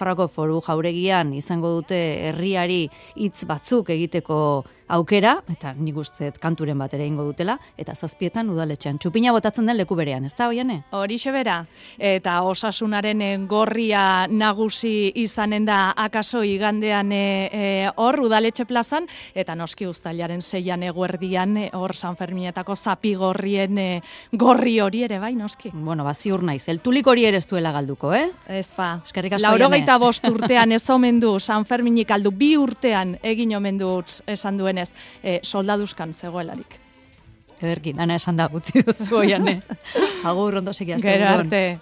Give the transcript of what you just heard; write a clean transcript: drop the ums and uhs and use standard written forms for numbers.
Nafarroako Foru Jauregian izango dute herriari hitz batzuk egiteko aukera, eta nik uste kanturen bat ere ingo dutela, eta 7etan udaletxean. Txupina botatzen den leku berean, ez da, Oiane? Horixe bera, eta Osasunaren gorria nagusi izanen da akaso igandean hor udaletxe plazan, eta noski uztailaren 6an eguerdian hor San Ferminetako zapigorrien gorri hori ere bai, noski. Bueno, ziur naiz, eltulik hori ere ez duela galduko, Ez ba, eskerrik asko, Oiane. 85 urtean ez omen du San Ferminik aldu, 2 urtean egin omen du esan duenez, soldaduzkan zegoelarik. Ederki, dana esan da gutzi duzu, Oiane. Agur, ondo segiazte. Gero arte.